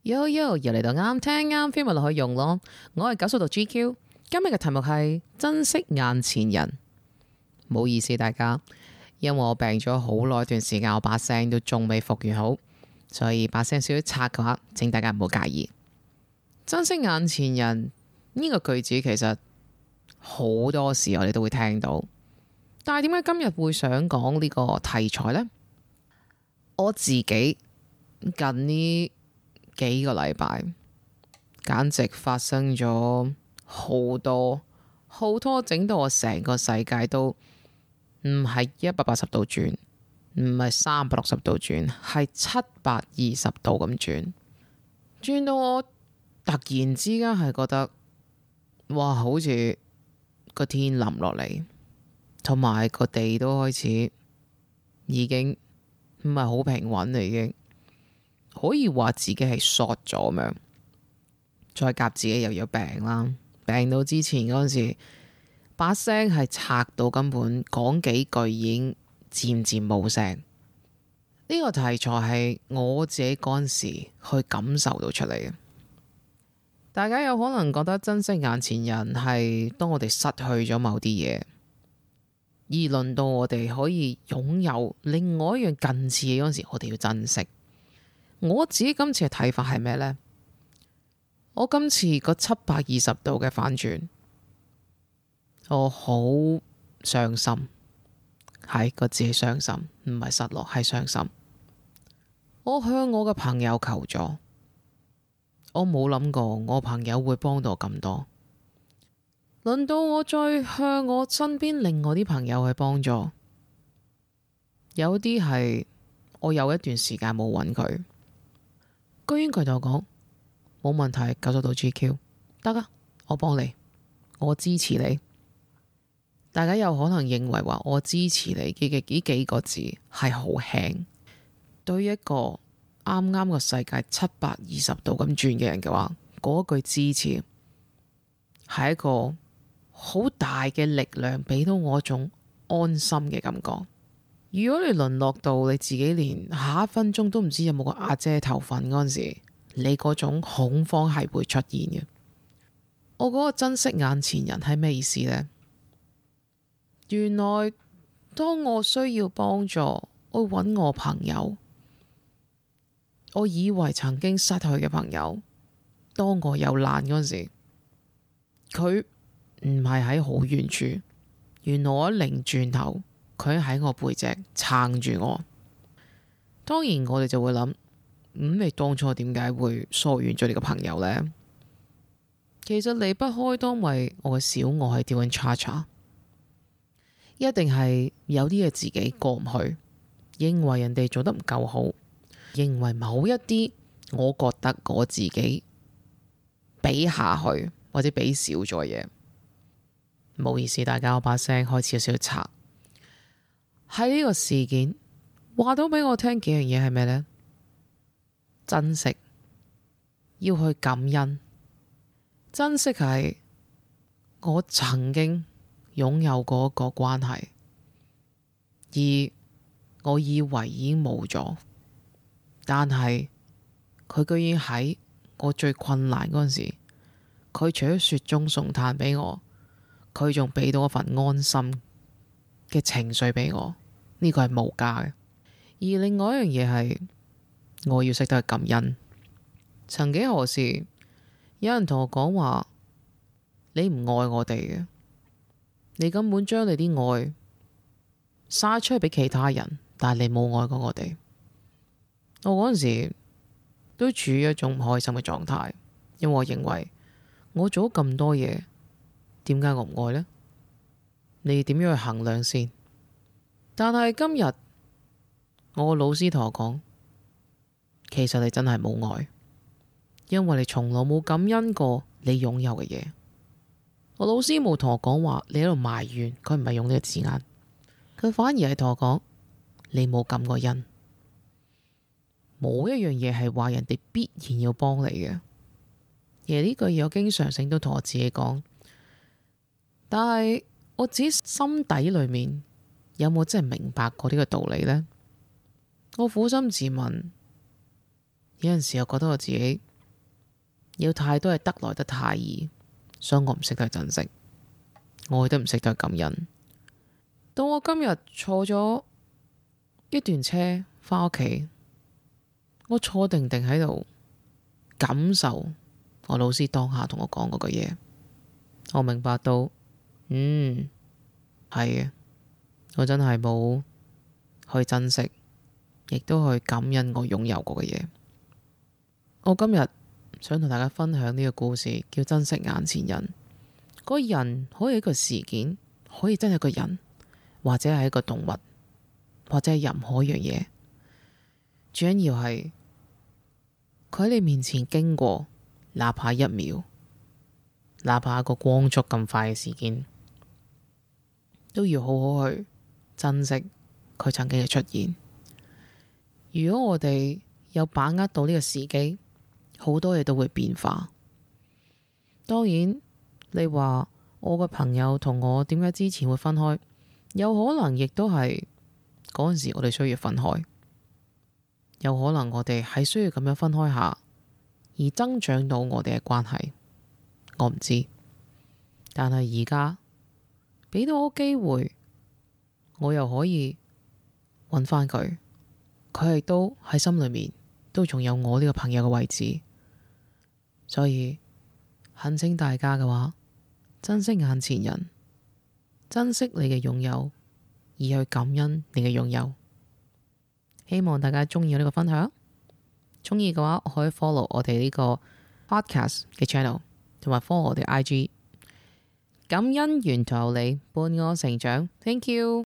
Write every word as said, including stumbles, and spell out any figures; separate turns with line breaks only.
Yo yo，又嚟到啱聽啱 feel 咪落去用咯。我係九十度 G Q，今日嘅題目係珍惜眼前人。唔好意思大家，因為我病咗好耐一段時間，我把聲都仲未復原好，所以把聲少少拆嘅話，請大家唔好介意。珍惜眼前人呢個句子其實好多時我哋都會聽到，但係點解今日會想講呢個題材呢？我自己近呢幾個禮拜，簡直發生咗好多好多，整到我成個世界都唔係一百八十度轉，唔係三百六十度轉，係七百二十度咁轉，轉到我突然之間係覺得，哇！好似個天冧落嚟，同埋個地都開始已經唔係好平穩啦，已經。可以話自己係 short 咗咁樣，再夾自己又有病啦，病到之前嗰陣時，把聲係拆到根本講幾句已經漸漸冇聲。呢個題材係我自己嗰陣時去感受到出嚟嘅。大家有可能覺得珍惜眼前人係當我哋失去咗某啲嘢，而輪到我哋可以擁有另外一樣近似嘅嗰陣時，我哋要珍惜。我自己今次嘅睇法係咩呢？我今次個七百二十度嘅反轉，我好傷心，係個字係傷心，唔係失落，係傷心。我向我嘅朋友求助，我冇諗過我朋友會幫到我咁多。輪到我再向我身邊另外啲朋友去幫助，有啲係我有一段時間冇揾佢。居然佢同我講冇問題，九十度 G Q 得啊，我幫你，我支持你。大家有可能認為話我支持你嘅嘅呢幾個字係好輕，對於一個啱啱個世界七百二十度咁轉嘅人嘅話，嗰句支持係一個好大嘅力量，俾到我一種安心嘅感覺。如果你淪落到你自己連下一分鐘都唔知有冇個阿姐頭瞓嗰陣時，你嗰種恐慌係會出現嘅。我嗰個珍惜眼前人係咩意思呢？原來當我需要幫助，我揾我朋友，我以為曾經失去嘅朋友，當我有難嗰陣時，佢唔係喺好遠處，原來我一擰轉頭，佢喺我背脊撐住我。當然我哋就會諗，咁、嗯、你當初點解會疏遠咗你個朋友呢？其實離不開當為我嘅小我係掉緊叉叉，一定係有啲嘢自己過唔去，認為人哋做得唔夠好，認為某一啲我覺得我自己比下去或者比少咗嘢。唔好意思大家，我把聲開始有少少拆。喺呢個事件話到俾我聽幾樣嘢係咩呢？珍惜，要去感恩。珍惜係我曾經擁有過一個關係，而我以為已經冇咗，但係佢居然喺我最困難嗰陣時，佢除咗雪中送炭俾我，佢仲俾到一份安心嘅情緒俾我。呢個係無價嘅。而另外一樣嘢係我要識得去感恩。曾幾何時有人同我講話，你唔愛我哋嘅，你根本將你啲愛撒出去俾其他人，但係你冇愛過我哋。我嗰陣時都處於一種唔開心嘅狀態，因為我認為我做咗咁多嘢，點解我唔愛呢？你點樣去衡量先？但係今日我個老師同我講，其實你真係冇愛，因為你從來冇感恩過你擁有嘅嘢。我老師冇同我講話你喺度埋怨，佢唔係用呢個字眼，佢反而係同我講你冇感過恩。冇一樣嘢係話人哋必然要幫你嘅。而呢句嘢我經常性都同我自己講，但係我自己心底裏面有冇真係明白過呢個道理呢？我苦心自問，有陣時又覺得我自己有太多係得來得太易，所以我唔識得去珍惜，我亦都唔識得去感恩。到我今日坐咗一段車返屋企，我坐定定喺度感受我老師當下同我講嗰句嘢，我明白到，嗯，係嘅，我真係冇去珍惜，亦都去感恩我擁有過嘅嘢。我今日想同大家分享呢個故事，叫珍惜眼前人。嗰個人可以係一個事件，可以真係一個人，或者係一個動物，或者係任何一樣嘢。最緊要係佢喺你面前經過，哪怕一秒，哪怕一個光速咁快嘅事件，都要好好去珍惜佢曾經嘅出現。如果我哋有把握到呢個時機，好多嘢都會變化。當然，你話我個朋友同我點解之前會分開，有可能亦都係嗰陣時我哋需要分開，有可能我哋係需要咁樣分開下，而增長到我哋嘅關係。我唔知，但係而家俾到我機會，我又可以揾翻佢，佢亦都喺心裏面都仲有我呢個朋友嘅位置。所以懇請大家嘅話，珍惜眼前人，珍惜你嘅擁有，而去感恩你嘅擁有。希望大家中意我呢個分享，中意嘅話可以 follow 我哋呢個 podcast 嘅 channel， 同埋 follow 我哋 I G。感恩沿途有你伴我成長，Thank you。